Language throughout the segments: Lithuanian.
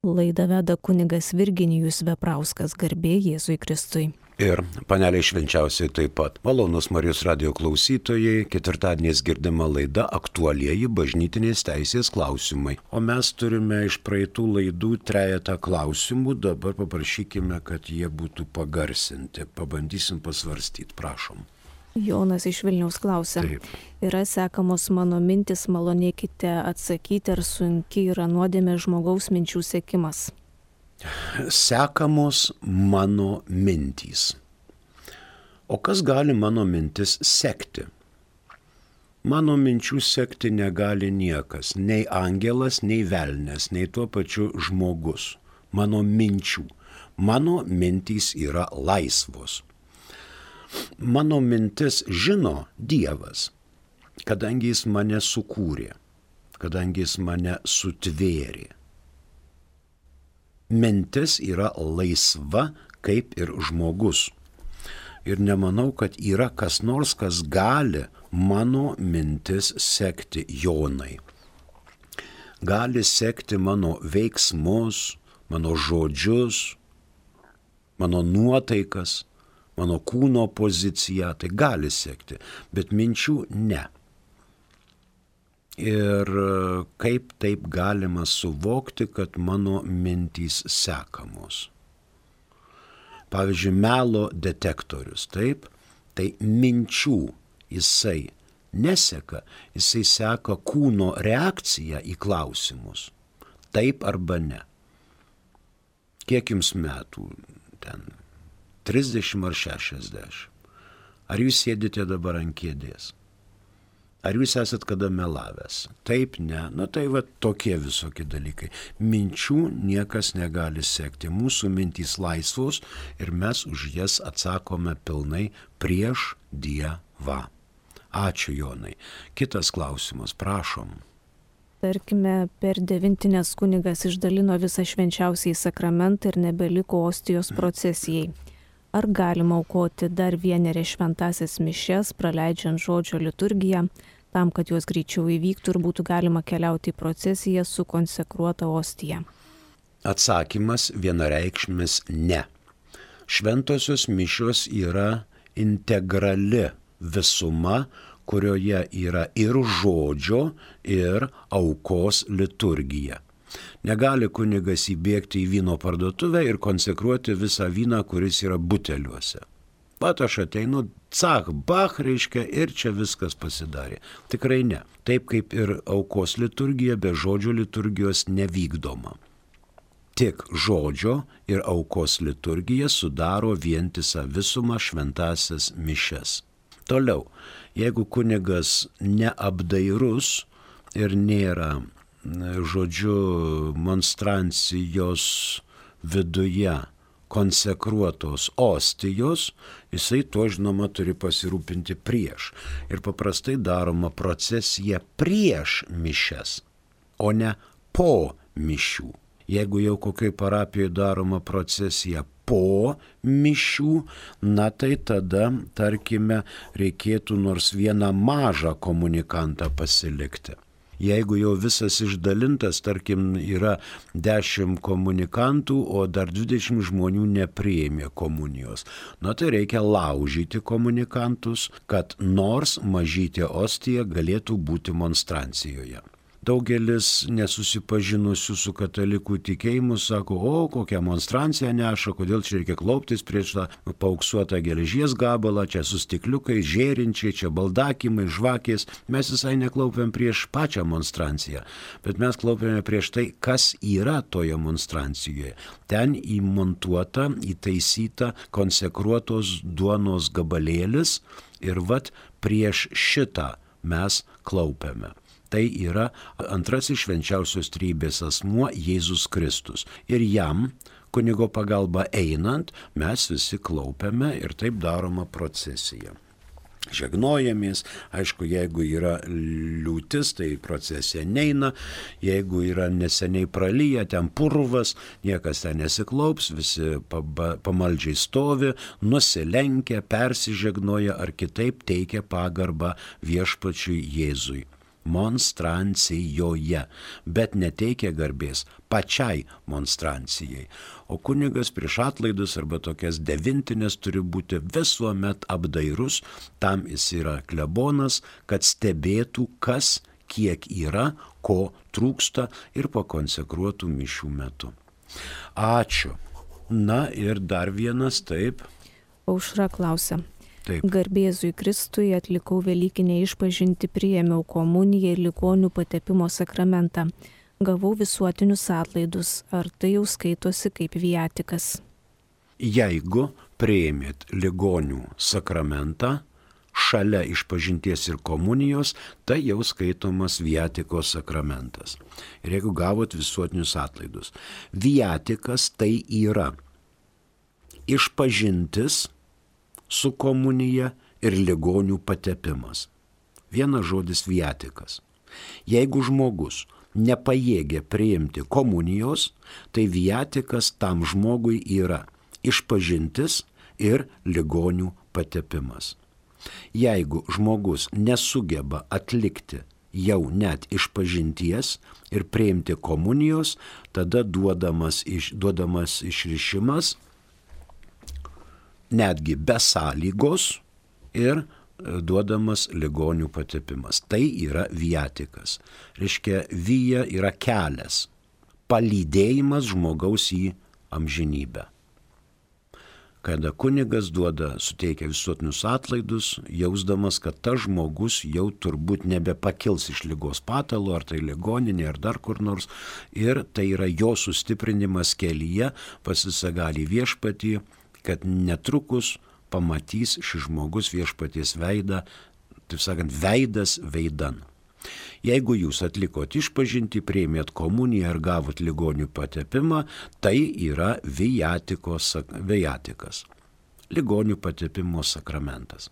Laidą veda kunigas Virginijus Veprauskas, garbė Jėzui Kristui. Ir paneliai švenčiausiai taip pat. Malonus Marijos radijo klausytojai, ketvirtadieniais girdima laida aktualieji bažnytinės teisės klausimai. O mes turime iš praeitų laidų trejetą klausimų, dabar paprašykime, kad jie būtų pagarsinti. Pabandysim pasvarstyti, prašom. Jonas iš Vilniaus klausia. Taip. Yra sekamos mano mintis, malonėkite atsakyti, ar sunki yra nuodėmė žmogaus minčių sekimas. Sekamos mano mintys. O kas gali mano mintis sekti? Mano minčių sekti negali niekas, nei angelas, nei velnės, nei tuo pačiu žmogus. Mano minčių. Mano mintys yra laisvos. Mano mintis žino Dievas, kadangi jis mane sukūrė, kadangi jis mane sutvėrė. Mintis yra laisva kaip ir žmogus. Ir nemanau, kad yra kas nors, kas gali mano mintis sekti, Jonai. Gali sekti mano veiksmus, mano žodžius, mano nuotaikas, mano kūno poziciją, tai gali sekti, bet minčių ne. Ir kaip taip galima suvokti, kad mano mintys sekamos? Pavyzdžiui, melo detektorius, taip? Tai minčių jisai neseka, jisai seka kūno reakciją į klausimus. Taip arba ne. Kiek jums metų ten? 30 ar 60. Ar jūs sėdite dabar ant kėdės? Ar jūs esat kada melavęs? Taip, ne. Na tai va tokie visokie dalykai. Minčių niekas negali sekti. Mūsų mintys laisvos ir mes už jas atsakome pilnai prieš Dievą. Ačiū, Jonai. Kitas klausimas, prašom. Tarkime, per devintinės kunigas išdalino visą švenčiausiąjį sakramentą ir nebeliko ostijos procesijai. Ar galima aukoti dar vienerį šventąsias mišias, praleidžiant žodžio liturgiją, tam, kad jos greičiau įvyktų ir būtų galima keliauti į procesiją su konsekruota ostija? Atsakymas vienareikšmis ne. Šventosios mišios yra integrali visuma, kurioje yra ir žodžio, ir aukos liturgija. Negali kunigas įbėgti į vyno parduotuvę ir konsekruoti visą vyną, kuris yra buteliuose. Pat aš ateinu, cach, bach, reiškia, ir čia viskas pasidarė. Tikrai ne. Taip kaip ir aukos liturgija be žodžio liturgijos nevykdoma. Tik žodžio ir aukos liturgija sudaro vientisą visumą šventąsias mišias. Toliau, jeigu kunigas neapdairus ir nėra žodžiu, monstrancijos viduje konsekruotos ostijos, jisai to žinoma turi pasirūpinti prieš. Ir paprastai daroma procesija prieš mišias, o ne po mišių. Jeigu jau kokioj parapijoje daroma procesija po mišių, na tai tada, tarkime, reikėtų nors vieną mažą komunikantą pasilikti. Jeigu jau visas išdalintas, tarkim, yra 10 komunikantų, o dar 20 žmonių nepriėmė komunijos, na tai reikia laužyti komunikantus, kad nors mažytė ostija galėtų būti monstrancijoje. Daugelis nesusipažinusių su katalikų tikėjimu sako, o kokią monstranciją neša, kodėl čia reikia klauptis prieš tą paauksuotą geležies gabalą, čia su stikliukai, žėrinčiai, čia baldakimai, žvakės. Mes visai neklaupiam prieš pačią monstranciją, bet mes klaupiame prieš tai, kas yra toje monstrancijoje. Ten įmontuota, įtaisyta, konsekruotos duonos gabalėlis ir vat prieš šitą mes klaupiame. Tai yra antrasis švenčiausios trejybės asmuo Jėzus Kristus. Ir jam, kunigo pagalba einant, mes visi klaupiame ir taip daroma procesija. Žegnojamės, aišku, jeigu yra liūtis, tai procesija neina, jeigu yra neseniai pralyja, ten purvas, niekas ten nesiklaups, visi pamaldžiai stovi, nusilenkia, persižegnoja ar kitaip teikia pagarbą viešpačiui Jėzui. monstrancijoje, bet neteikia garbės pačiai monstrancijai. O kunigas prieš atlaidus arba tokias devintinės turi būti visuomet apdairus, tam jis yra klebonas, kad stebėtų, kas kiek yra, ko trūksta ir pakonsekruotų mišių metu. Ačiū. Na ir dar vienas, taip. Aušra klausia. Taip. Garbėzui Kristui atlikau velykinę išpažintį, priėmiau komuniją ir ligonių patepimo sakramentą. Gavau visuotinius atlaidus. Ar tai jau skaitosi kaip viatikas? Jeigu priėmėt ligonių sakramentą, šalia išpažinties ir komunijos, tai jau skaitomas viatikos sakramentas. Ir jeigu gavot visuotinius atlaidus. Viatikas tai yra išpažintis su komunija ir ligonių patepimas. Vienas žodis viatikas. Jeigu žmogus nepajėgia priimti komunijos, tai viatikas tam žmogui yra išpažintis ir ligonių patepimas. Jeigu žmogus nesugeba atlikti jau net išpažinties ir priimti komunijos, tada duodamas išrišimas netgi be sąlygos ir duodamas ligonių patepimas. Tai yra viatikas. Reiškia, vija yra kelias, palydėjimas žmogaus į amžinybę. Kada kunigas suteikia visuotinius atlaidus, jausdamas, kad tas žmogus jau turbūt nebepakils iš ligos patalo, ar tai ligoninė, ar dar kur nors, ir tai yra jo sustiprinimas kelyje pas visagalį viešpatį, kad netrukus pamatys šis žmogus viešpaties veidą, taip sakant, veidas veidan. Jeigu jūs atlikot išpažintį, priėmėt komuniją ir gavot ligonių patepimą, tai yra viatikas, ligonių patepimo sakramentas.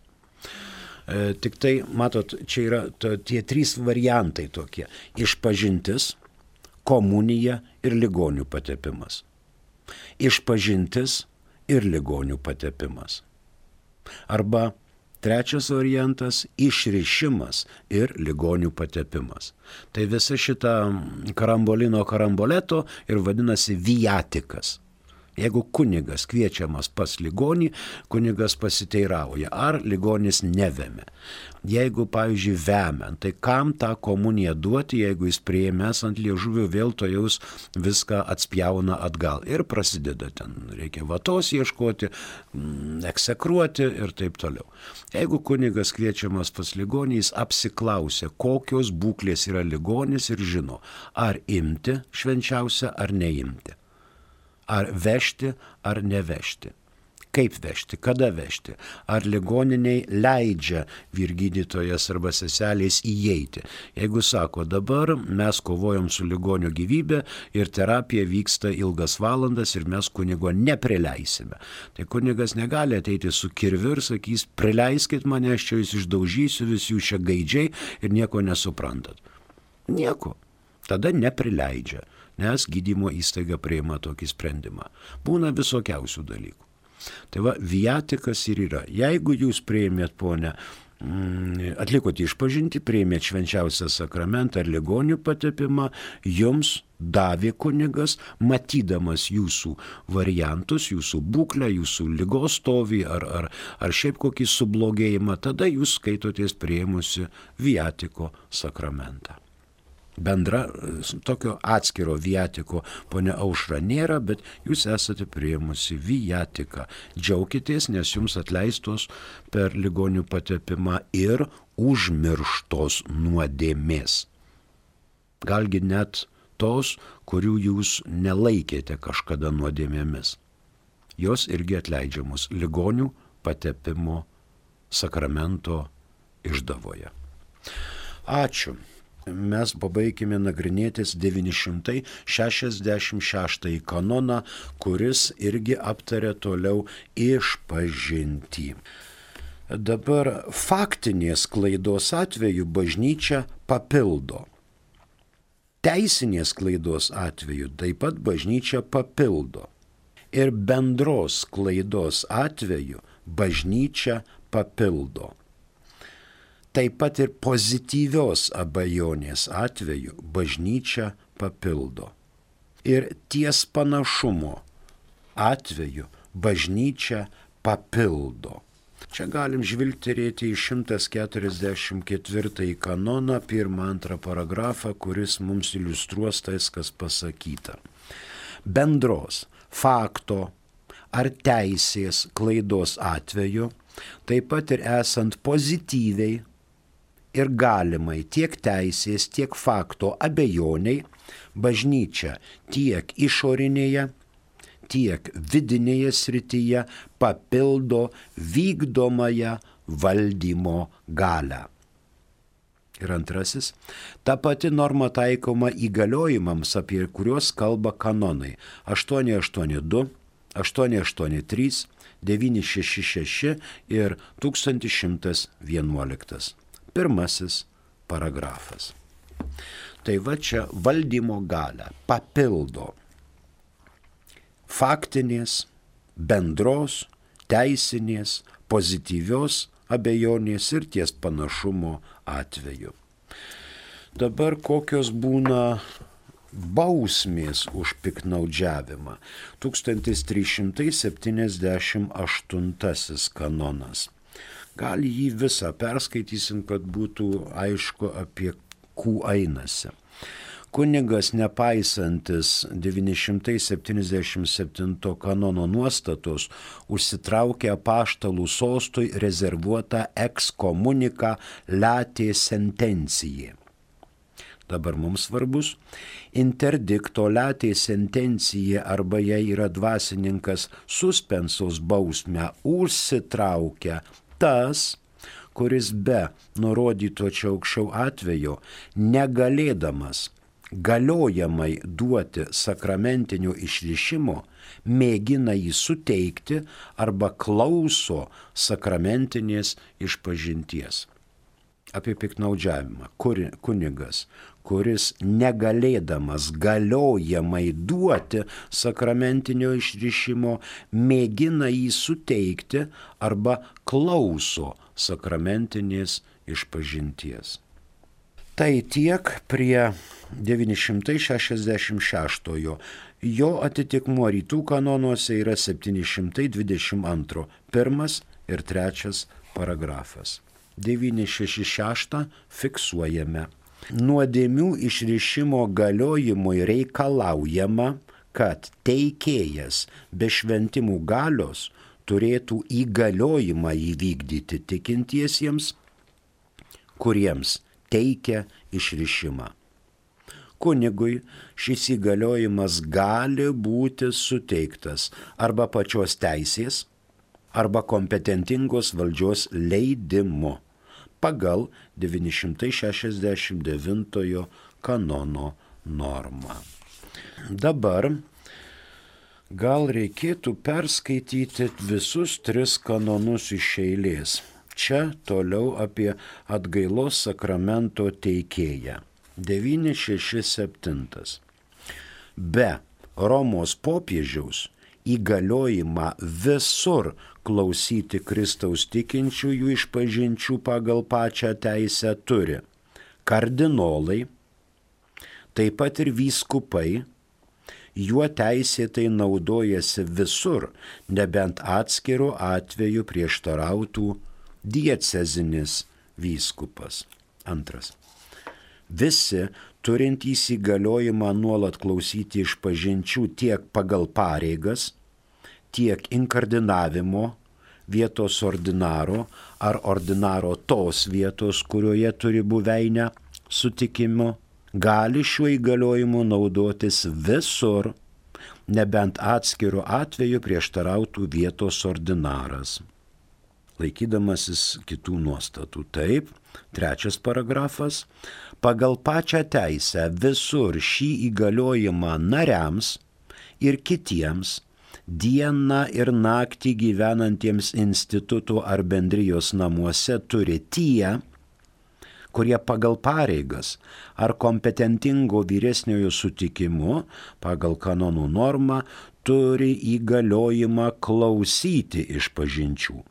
Tik tai, matot, čia yra tie trys variantai tokie - išpažintis, komunija ir ligonių patepimas. Išpažintis ir ligonių patepimas. Arba trečias variantas - išrišimas ir ligonių patepimas. Tai visa šita karamboleto ir vadinasi viatikas. Jeigu kunigas kviečiamas pas ligonį, kunigas pasiteirauja, ar ligonis nevemia. Jeigu, pavyzdžiui, vemiant, tai kam tą komuniją duoti, jeigu jis priėmęs ant liežuvio vėl to jaus viską atspjauna atgal. Ir prasideda ten, reikia vatos ieškoti, eksekruoti ir taip toliau. Jeigu kunigas kviečiamas pas ligonį, jis apsiklausia, kokios būklės yra ligonis ir žino, ar imti švenčiausią ar neimti. Ar vežti, ar nevežti. Kaip vežti, kada vežti. Ar ligoniniai leidžia vyrgydytojas arba seselės įeiti. Jeigu sako, dabar mes kovojam su ligonio gyvybė ir terapija vyksta ilgas valandas ir mes kunigo neprileisime. Tai kunigas negali ateiti su kirviu ir sakys, prileiskit mane, aš čia jūs išdaužysiu, visi jūs čia gaidžiai ir nieko nesuprantat. Nieko. Tada neprileidžia. Nes gydymo įstaiga priima tokį sprendimą. Būna visokiausių dalykų. Tai va, viatikas ir yra. Jeigu jūs priėmėt, ponę, atlikot išpažintį, priėmėt švenčiausią sakramentą ar ligonių patepimą, jums davė kunigas, matydamas jūsų variantus, jūsų būklę, jūsų ligos stovį ar šiaip kokį sublogėjimą, tada jūs skaitotės priėmusi viatiko sakramentą. Bendra tokio atskiro viatiko, ponia Aušra, nėra, bet jūs esate priėmusi viatiką. Džiaukitės, nes jums atleistos per ligonių patepimą ir užmirštos nuodėmės. Galgi net tos, kurių jūs nelaikėte kažkada nuodėmėmis. Jos irgi atleidžiamos ligonių patepimo sakramento išdavoje. Ačiū. Mes pabaigime nagrinėtis 966 kanoną, kuris irgi aptarė toliau išpažintį. Dabar faktinės klaidos atveju bažnyčia papildo. Teisinės klaidos atveju taip pat bažnyčia papildo. Ir bendros klaidos atveju bažnyčia papildo. taip pat ir pozityvios abejonės atveju bažnyčia papildo. Ir ties panašumo atveju bažnyčia papildo. Čia galim žvilgterėti į 144 kanoną, 1-2 paragrafą, kuris mums iliustruos tais, kas pasakyta. Bendros fakto ar teisės klaidos atveju, taip pat ir esant pozityviai ir galimai tiek teisės, tiek fakto abejoniai, bažnyčia tiek išorinėje, tiek vidinėje srityje papildo vykdomąją valdymo galią. Ir antrasis, ta pati norma taikoma įgaliojimams, apie kuriuos kalba kanonai 882, 883, 966 ir 1111. Pirmasis paragrafas. Tai va čia valdymo galią papildo faktinės, bendros, teisinės, pozityvios abejonės ir ties panašumo atveju. Dabar kokios būna bausmės už piktnaudžiavimą? 1378 kanonas. Gal jį visą perskaitysim, kad būtų aišku, apie kų einasi. Kunigas, nepaisantis 977 kanono nuostatos, užsitraukė apaštalų sostui rezervuotą excommunica latae sententiae. Dabar mums svarbus interdikto latae sententiae arba jei yra dvasininkas suspensos bausmę užsitraukia tas, kuris be nurodyto čia aukščiau atvejo negalėdamas galiojamai duoti sakramentinio išrišimo, mėgina jį suteikti arba klauso sakramentinės išpažinties. Apie piktnaudžiavimą. Kunigas, kuris negalėdamas galiojamai duoti sakramentinio išrišimo, mėgina jį suteikti arba klauso sakramentinės išpažinties. Tai tiek prie 966. Jo atitikmuo rytų kanonuose yra 722. 1 ir 3 paragrafas. 966 fiksuojame. Nuodėmių išrišimo galiojimui reikalaujama, kad teikėjas be šventimų galios turėtų įgaliojimą įvykdyti tikintiesiems, kuriems teikia išrišimą. Kunigui šis įgaliojimas gali būti suteiktas arba pačios teisės, arba kompetentingos valdžios leidimu pagal 969 kanono normą. Dabar gal reikėtų perskaityti visus 3 kanonus iš eilės. Čia toliau apie atgailos sakramento teikėją. 967. Be Romos popiežiaus įgaliojimą visur klausyti Kristaus tikinčiųjų išpažinčių pagal pačią teisę turi kardinolai, taip pat ir vyskupai, juo teisėtai naudojasi visur, nebent atskiru atveju prieštarautų diecezinis vyskupas. 2. Visi turintys įgaliojimą nuolat klausyti išpažinčių tiek pagal pareigas, tiek inkardinavimo vietos ordinaro ar ordinaro tos vietos, kurioje turi buveinę sutikimo, gali šiuo įgaliojimu naudotis visur, nebent atskiru atveju prieštarautų vietos ordinaras, laikydamasis kitų nuostatų. Taip, 3 paragrafas. Pagal pačią teisę visur šį įgaliojimą nariams ir kitiems dieną ir naktį gyvenantiems institutų ar bendrijos namuose turi tie, kurie pagal pareigas ar kompetentingo vyresniojo sutikimu pagal kanonų normą turi įgaliojimą klausyti išpažinčių.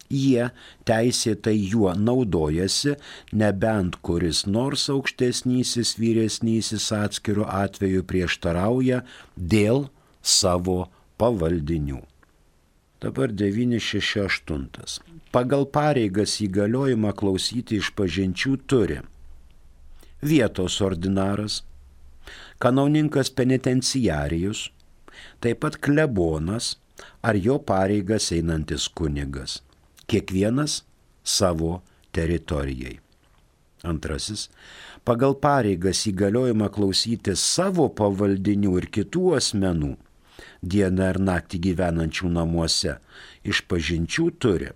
Jie teisėtai juo naudojasi, nebent kuris nors aukštesnysis vyresnysis atskiru atveju prieštarauja dėl savo pavaldinių. Dabar 968. Pagal pareigas įgaliojimą klausyti išpažinčių turi vietos ordinaras, kanauninkas penitenciarijus, taip pat klebonas ar jo pareigas einantis kunigas, kiekvienas savo teritorijai. Antrasis, pagal pareigas įgaliojimą klausyti savo pavaldinių ir kitų asmenų, dieną ir naktį gyvenančių namuose, išpažinčių turi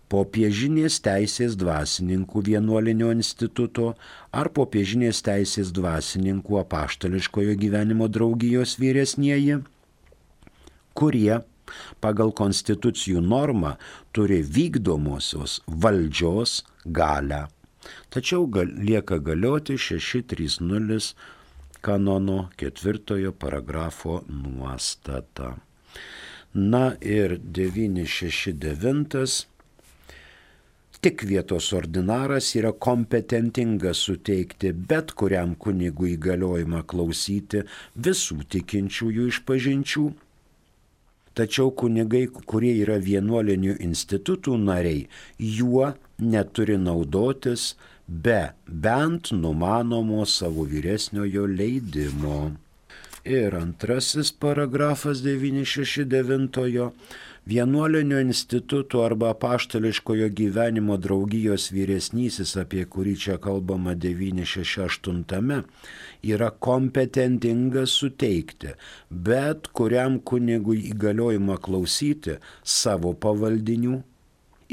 popiežinės teisės dvasininkų vienuolinio instituto ar popiežinės teisės dvasininkų apaštališkojo gyvenimo draugijos vyresnieji, kurie pagal konstitucijų normą turi vykdomosios valdžios galią. Tačiau lieka galioti 630 kanono 4 paragrafo nuostata. Na ir 969. Tik vietos ordinaras yra kompetentingas suteikti bet kuriam kunigui įgaliojimą klausyti visų tikinčiųjų išpažinčių. Tačiau kunigai, kurie yra vienuolinių institutų nariai, juo neturi naudotis be bent numanomo savo vyresniojo leidimo. Ir antrasis paragrafas 969. Vienuolinio instituto arba apaštališkojo gyvenimo draugijos vyresnysis, apie kurį čia kalbama 968, yra kompetentingas suteikti bet kuriam kunigui įgaliojimą klausyti savo pavaldinių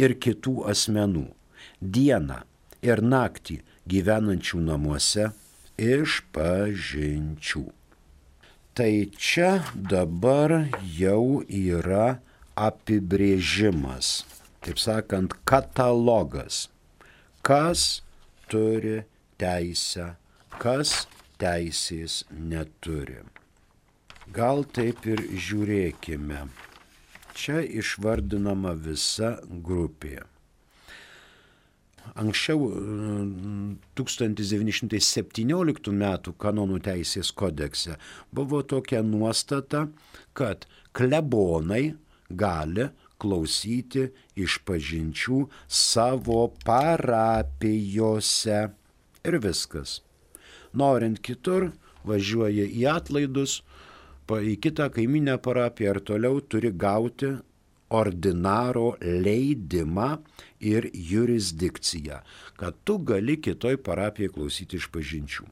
ir kitų asmenų, dieną ir naktį gyvenančių namuose išpažinčių. Tai čia dabar jau yra apibrėžimas, taip sakant, katalogas, kas turi teisę, kas teisės neturi. Gal taip ir žiūrėkime. Čia išvardinama visa grupė. Anksčiau 1917 metų kanonų teisės kodekse buvo tokia nuostata, kad klebonai gali klausyti išpažinčių savo parapijose. Ir viskas. Norint kitur, važiuoja į atlaidus, į kitą kaiminę parapiją ir toliau turi gauti ordinaro leidimą ir jurisdikciją, kad tu gali kitoj parapijai klausyti išpažinčių.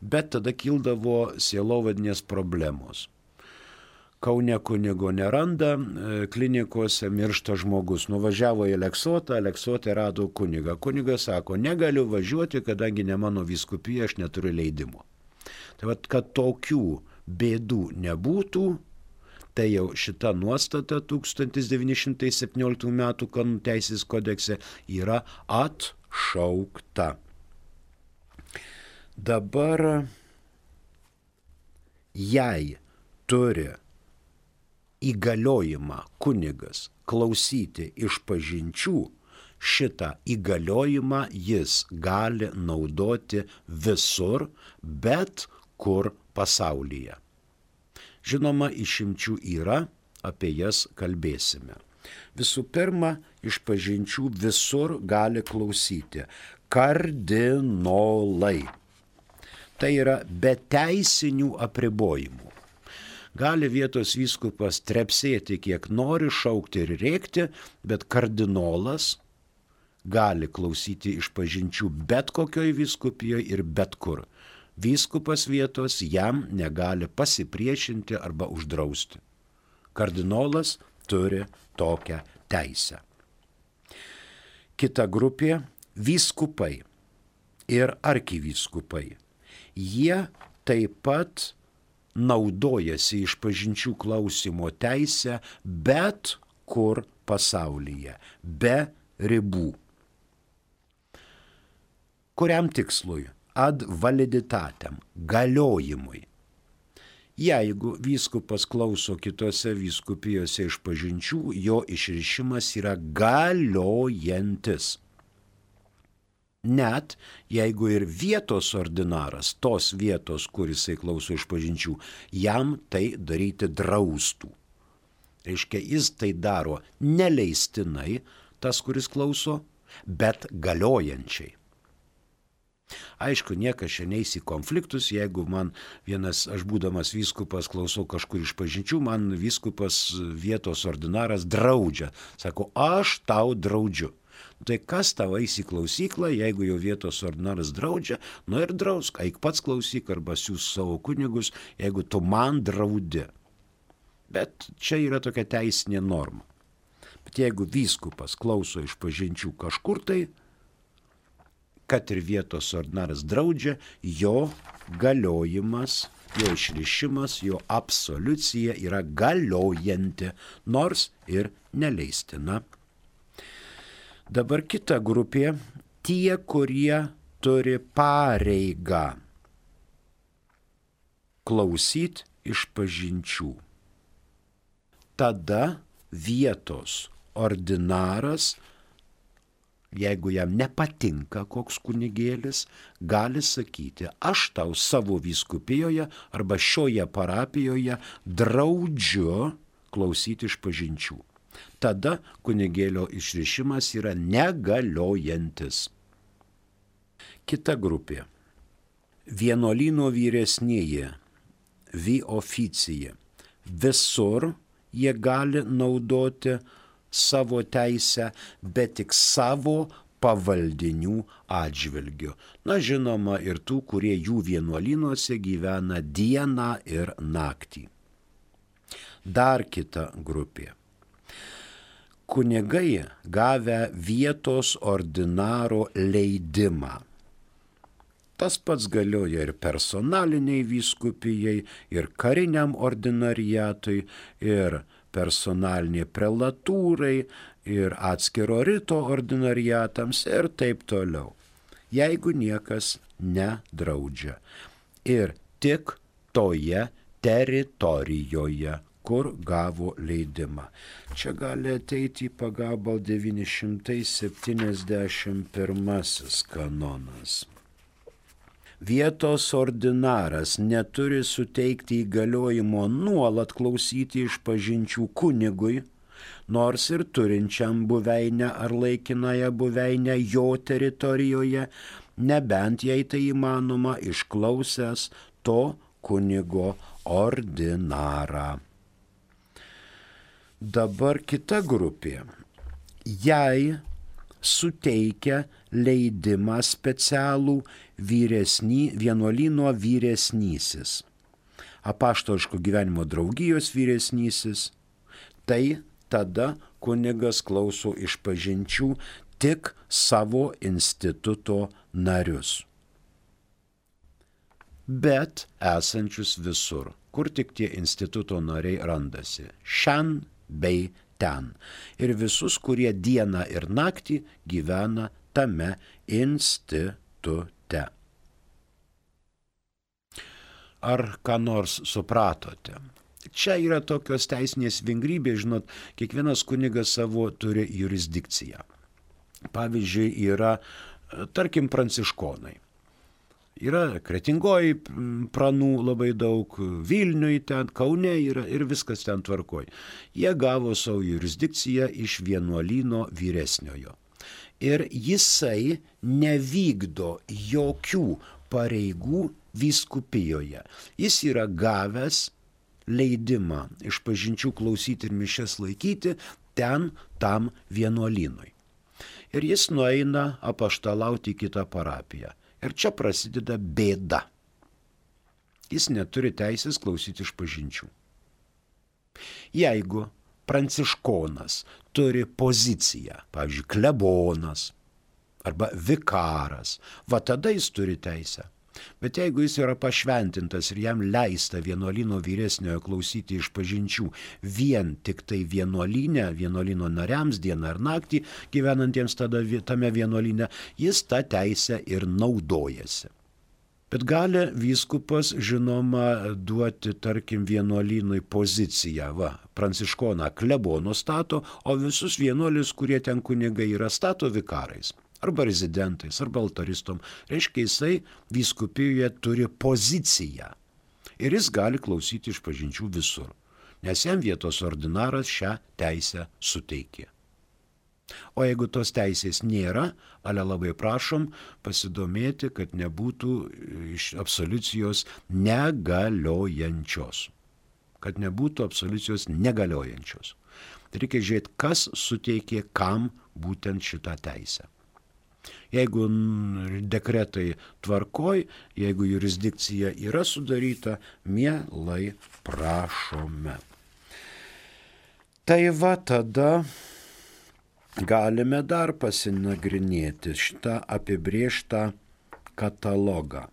Bet tada kildavo sielovadinės problemos. Kaune kunigo neranda, klinikose miršta žmogus. Nuvažiavo į Aleksote rado kunigą. Kunigas sako, negaliu važiuoti, kadangi ne mano vyskupija, aš neturiu leidimo. Tai vat, kad tokių bėdų nebūtų, tai jau šita nuostata 1917 metų kanonų teisės kodekse yra atšaukta. Dabar jei turi įgaliojimą kunigas klausyti išpažinčių, šitą įgaliojimą jis gali naudoti visur, bet kur pasaulyje. Žinoma, išimčių yra, apie jas kalbėsime. Visų pirma, išpažinčių visur gali klausyti kardinolai. Tai yra be teisinių apribojimų. Gali vietos vyskupas trepsėti kiek nori, šaukti ir rėkti, bet kardinolas gali klausyti išpažinčių bet kokioj vyskupijoje ir bet kur. Vyskupas vietos jam negali pasipriešinti arba uždrausti. Kardinolas turi tokią teisę. Kita grupė – vyskupai ir arkivyskupai. Jie taip pat naudojasi išpažinčių klausimo teisę bet kur pasaulyje, be ribų. Kuriam tikslui? Ad validitatem, galiojimui. Jeigu vyskupas klauso kitose vyskupijose išpažinčių, jo išrišimas yra galiojantis. Net jeigu ir vietos ordinaras, tos vietos, kur jisai klauso išpažinčių, jam tai daryti draustų. Reiškia, jis tai daro neleistinai, tas, kuris klauso, bet galiojančiai. Aišku, niekas čia neis į konfliktus, jeigu man aš būdamas vyskupas klausau kažkur išpažinčių, man vyskupas vietos ordinaras draudžia. Sako, aš tau draudžiu. Tai kas tau eis į klausyklą, jeigu jau vietos ordinaras draudžia, ir drausk, eik pats klausyk arba siūs savo kunigus, jeigu tu man draudi. Bet čia yra tokia teisinė norma. Bet jeigu vyskupas klauso išpažinčių kažkur tai, kad ir vietos ordinaras draudžia, jo galiojimas, jo išrišimas, jo absoliucija yra galiojanti, nors ir neleistina. Dabar kita grupė, tie, kurie turi pareigą klausyti išpažinčių. Tada vietos ordinaras, jeigu jam nepatinka koks kunigėlis, gali sakyti, aš tau savo vyskupijoje arba šioje parapijoje draudžiu klausyti išpažinčių. Tada kunigėlio išrišimas yra negaliojantis. Kita grupė. Vienuolyno vyresnieji, vi oficija. Visur jie gali naudoti savo teisę, bet tik savo pavaldinių atžvilgiu. Žinoma, ir tų, kurie jų vienuolynuose gyvena dieną ir naktį. Dar kita grupė. Kunigai gavę vietos ordinaro leidimą. Tas pats galioja ir personaliniai vyskupijai, ir kariniam ordinariatui, ir personaliniai prelatūrai, ir atskiro rito ordinariatams ir taip toliau. Jeigu niekas nedraudžia. Ir tik toje teritorijoje, kur gavo leidimą. Čia gali ateiti į pagalbą 971 kanonas. Vietos ordinaras neturi suteikti įgaliojimo nuolat klausyti išpažinčių kunigui, nors ir turinčiam buveinę ar laikinąją buveinę jo teritorijoje, nebent jei tai įmanoma išklausęs to kunigo ordinarą. Dabar kita grupė. Jei suteikia leidimą specialų vienuolyno vyresnysis, apaštališko gyvenimo draugijos vyresnysis, tai tada kunigas klauso išpažinčių tik savo instituto narius. Bet esančius visur, kur tik tie instituto nariai randasi, šen bei ten. Ir visus, kurie dieną ir naktį gyvena tame institute. Ar ką nors supratote? Čia yra tokios teisinės vingrybės, žinot, kiekvienas kunigas savo turi jurisdikciją. Pavyzdžiui, yra, tarkim, pranciškonai. Yra Kretingoj pranų labai daug, Vilniuj ten, Kaune yra ir viskas ten tvarkoj. Jie gavo savo jurisdikciją iš vienuolyno vyresniojo. Ir jisai nevykdo jokių pareigų vyskupijoje. Jis yra gavęs leidimą išpažinčių klausyti ir mišias laikyti ten tam vienuolynui. Ir jis nueina apaštalauti į kitą parapiją. Ir čia prasideda bėda. Jis neturi teisės klausyti išpažinčių. Jeigu pranciškonas turi poziciją, pavyzdžiui, klebonas arba vikaras, tada jis turi teisę. Bet jeigu jis yra pašventintas ir jam leista vienuolyno vyresniojo klausyti išpažinčių vien tik tai vienuolyno nariams dieną ir naktį gyvenantiems tame vienuolyne, jis tą teisę ir naudojasi. Bet gali vyskupas, žinoma, duoti, tarkim, vienuolynui poziciją. Pranciškoną klebonu stato, o visus vienuolius, kurie ten kunigai yra, stato vikarais. Arba rezidentais, arba altaristom. Reiškia, jisai vyskupijoje turi poziciją. Ir jis gali klausyti išpažinčių visur. Nes jam vietos ordinaras šią teisę suteikė. O jeigu tos teisės nėra, labai prašom pasidomėti, kad nebūtų iš absoliucijos negaliojančios. Kad nebūtų absoliucijos negaliojančios. Tai reikia žiūrėti, kas suteikė kam būtent šitą teisę. Jeigu dekretai tvarkoj, jeigu jurisdikcija yra sudaryta, mielai prašome. Tai tada galime dar pasinagrinėti šitą apibrėžtą katalogą.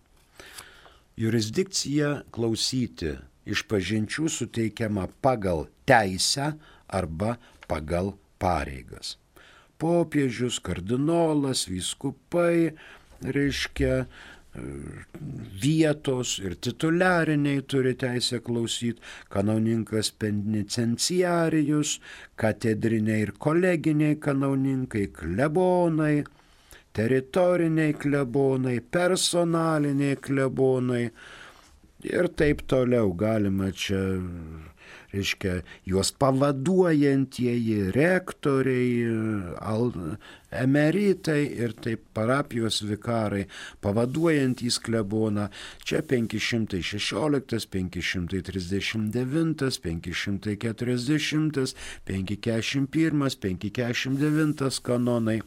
Jurisdikcija klausyti išpažinčių suteikiama pagal teisę arba pagal pareigas. Popiežius, kardinolas, vyskupai, reiškia vietos ir tituliariniai turi teisę klausyti, kanauninkas penitenciarijus, katedriniai ir koleginiai kanauninkai, klebonai, teritoriniai klebonai, personaliniai klebonai ir taip toliau. Galima čia, reiškia, juos pavaduojantieji rektoriai, emeritai ir taip parapijos vikarai, pavaduojantys kleboną. Čia 516, 539, 540, 541, 549 kanonai.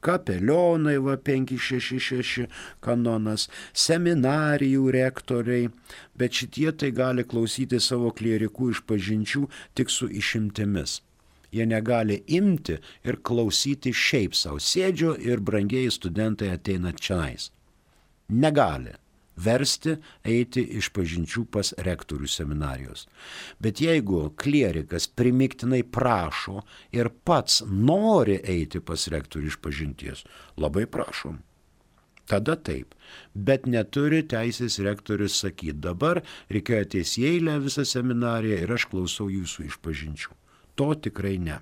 Kapelionai 566 kanonas, seminarijų rektoriai, bet šitie tai gali klausyti savo klierikų išpažinčių tik su išimtimis. Jie negali imti ir klausyti šiaip savo. Sėdžio ir brangieji studentai ateina čionais. Negali versti eiti išpažinčių pas rektorių seminarijos. Bet jeigu klierikas primiktinai prašo ir pats nori eiti pas rektorių išpažinties, labai prašom. Tada taip. Bet neturi teisės rektorius sakyti, dabar reikėjo ateis į eilę visą seminariją ir aš klausau jūsų išpažinčių. To tikrai ne.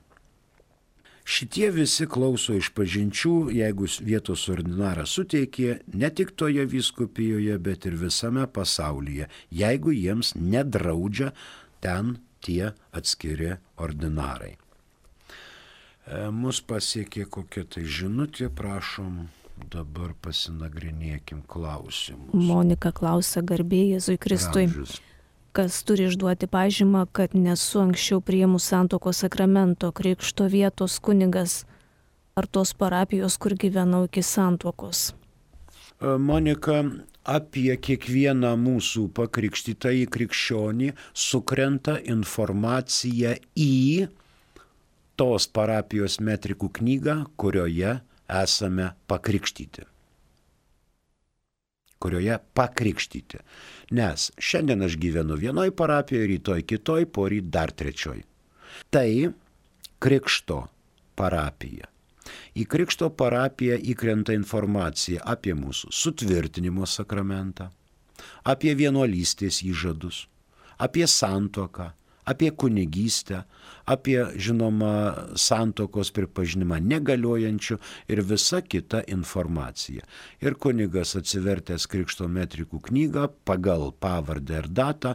Šitie visi klauso išpažinčių, jeigu vietos ordinaras suteikė, ne tik toje vyskupijoje, bet ir visame pasaulyje, jeigu jiems nedraudžia ten tie atskiri ordinarai. Mus pasiekė kokia tai žinutė, prašom, dabar pasinagrinėkim klausimus. Monika klausia, garbė Jėzui Kristui. Gražius. Kas turi išduoti pažymą, kad nesu anksčiau priėmus santuokos sakramento, krikšto vietos kunigas ar tos parapijos, kur gyvenau iki santuokos? Monika, apie kiekvieną mūsų pakrikštytąjį krikščionį sukrenta informacija į tos parapijos metrikų knygą, kurioje esame pakrikštyti. Nes šiandien aš gyvenu vienoj parapijoje, rytoj kitoj, poryt dar trečioj. Tai krikšto parapija. Į krikšto parapiją įkrenta informacija apie mūsų sutvirtinimo sakramentą, apie vienuolystės įžadus, apie santuoką, apie kunigystę, apie, žinoma, santuokos pripažinimą negaliojančių ir visa kita informacija. Ir kunigas atsivertęs krikšto metrikų knygą pagal pavardę ir datą,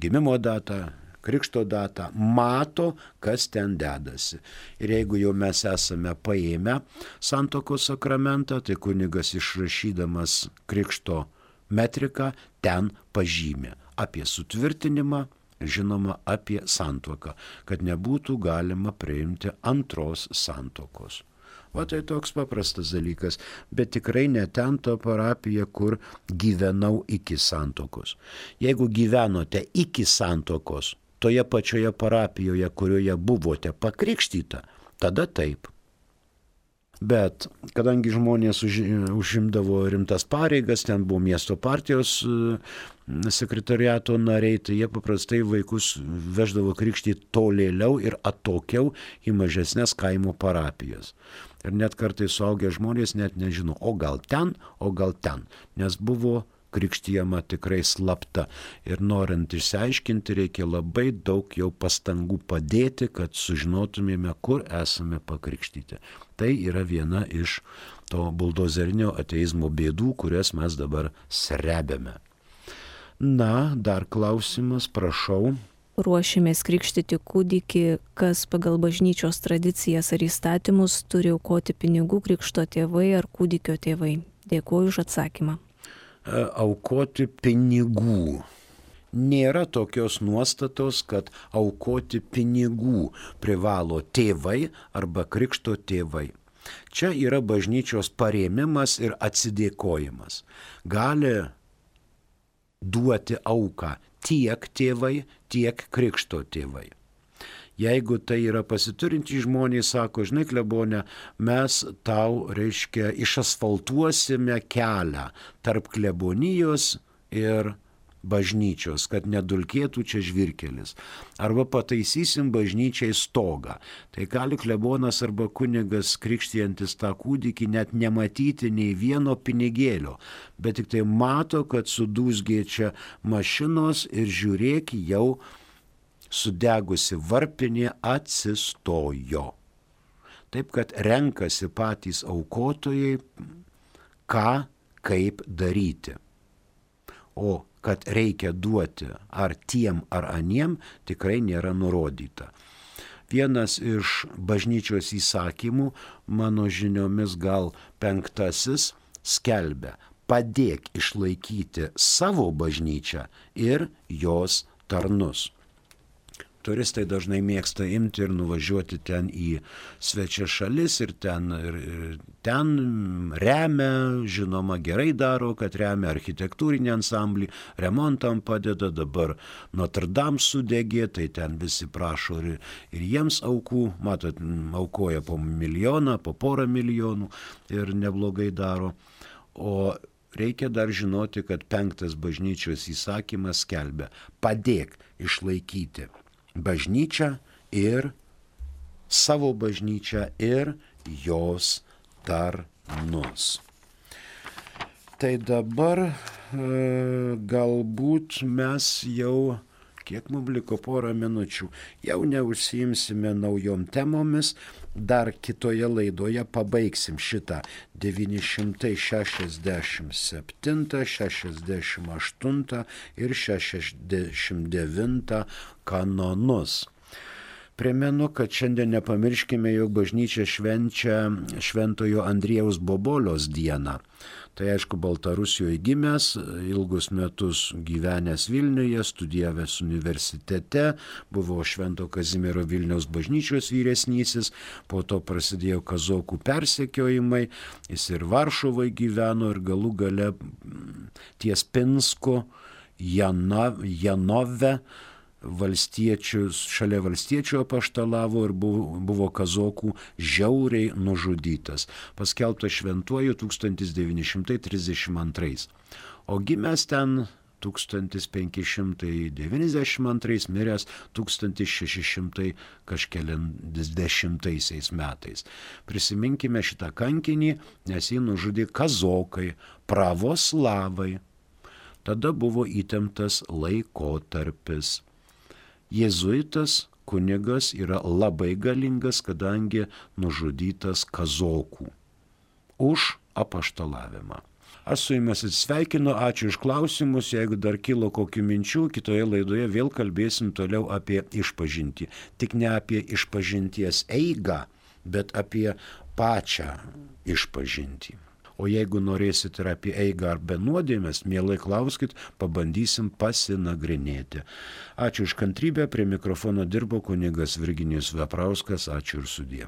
gimimo datą, krikšto datą, mato, kas ten dedasi. Ir jeigu jau mes esame paėmę santuokos sakramentą, tai kunigas išrašydamas krikšto metriką ten pažymė apie sutvirtinimą, žinoma, apie santuoką, kad nebūtų galima priimti antros santuokos. O tai toks paprastas dalykas, bet tikrai ne ten to parapija, kur gyvenau iki santuokos. Jeigu gyvenote iki santuokos, toje pačioje parapijoje, kurioje buvote pakrikštyta, tada taip. Bet kadangi žmonės užimdavo rimtas pareigas, ten buvo miesto partijos sekretariato nariai, tai jie paprastai vaikus veždavo krikštyti tolėliau ir atokiau į mažesnės kaimo parapijas. Ir net kartais suaugę žmonės net nežino, o gal ten, nes buvo krikštijama tikrai slapta. Ir norint išsiaiškinti, reikia labai daug jau pastangų padėti, kad sužinotumėme, kur esame pakrikštyti. Tai yra viena iš to buldozerinio ateizmo bėdų, kurias mes dabar srebiame. Na, dar klausimas, prašau. Ruošimės krikštyti kūdikį, kas pagal bažnyčios tradicijas ar įstatymus turi aukoti pinigų krikšto tėvai ar kūdikio tėvai. Dėkuoju už atsakymą. Aukoti pinigų. Nėra tokios nuostatos, kad aukoti pinigų privalo tėvai arba krikšto tėvai. Čia yra bažnyčios parėmimas ir atsidėkojimas. Gali duoti auką tiek tėvai, tiek krikšto tėvai. Jeigu tai yra pasiturintys žmonės, sako, žinai, klebone, mes tau, išasfaltuosime kelią tarp klebonijos ir bažnyčios, kad nedulkėtų čia žvyrkelis. Arba pataisysim bažnyčiai stogą. Tai gali klebonas arba kunigas krikštijantis tą kūdikį net nematyti nei vieno pinigėlio, bet tik tai mato, kad sudūzgė čia mašinos ir žiūrėk, jau sudegusi varpinė atsistojo. Taip, kad renkasi patys aukotojai, ką, kaip daryti. O kad reikia duoti ar tiem, ar aniem, tikrai nėra nurodyta. Vienas iš bažnyčios įsakymų, mano žiniomis gal 5, skelbia: padėk išlaikyti savo bažnyčią ir jos tarnus. Turistai dažnai mėgsta imti ir nuvažiuoti ten į svečias šalis ir ten remia, žinoma, gerai daro, kad remia architektūrinį ansamblį, remontam padeda, dabar Notre Dame sudegė, tai ten visi prašo ir jiems aukų, matot, aukoja po 1 milijoną, po 1,5 milijonų ir neblogai daro. O reikia dar žinoti, kad 5 bažnyčios įsakymas skelbia: padėk išlaikyti bažnyčią ir savo bažnyčią ir jos tarnus. Tai dabar galbūt mes jau, kiek mums liko, 10 minučių, jau neužsiimsime naujom temomis, dar kitoje laidoje pabaigsim šitą 967, 68 ir 69 kanonus. Primenu, kad šiandien nepamirškime, jog bažnyčia švenčia Šventojo Andriejaus Bobolios dieną. Tai aišku, Baltarusijoje gimęs, ilgus metus gyvenęs Vilniuje, studijavęs universitete, buvo Švento Kazimiero Vilniaus bažnyčios vyresnysis, po to prasidėjo kazokų persekiojimai, jis ir Varšuvoje gyveno ir galų gale ties Pinsku, Janove, šalia valstiečių apaštalavo ir buvo kazokų žiauriai nužudytas, paskelbtas šventuoju 1932. O gimęs ten 1592, miręs 1610 metais. Prisiminkime šitą kankinį, nes jį nužudė kazokai, pravoslavai. Tada buvo įtemptas laikotarpis. Jėzuitas kunigas yra labai galingas, kadangi nužudytas kazokų už apaštalavimą. Aš su jumis atsisveikinu, ačiū už klausimus, jeigu dar kilo kokių minčių, kitoje laidoje vėl kalbėsim toliau apie išpažintį. Tik ne apie išpažinties eigą, bet apie pačią išpažintį. O jeigu norėsit ir apie eigą ar be nuodėmės, mielai klauskit, pabandysim pasinagrinėti. Ačiū už kantrybę, prie mikrofono dirbo kunigas Virginijus Veprauskas, ačiū ir sudie.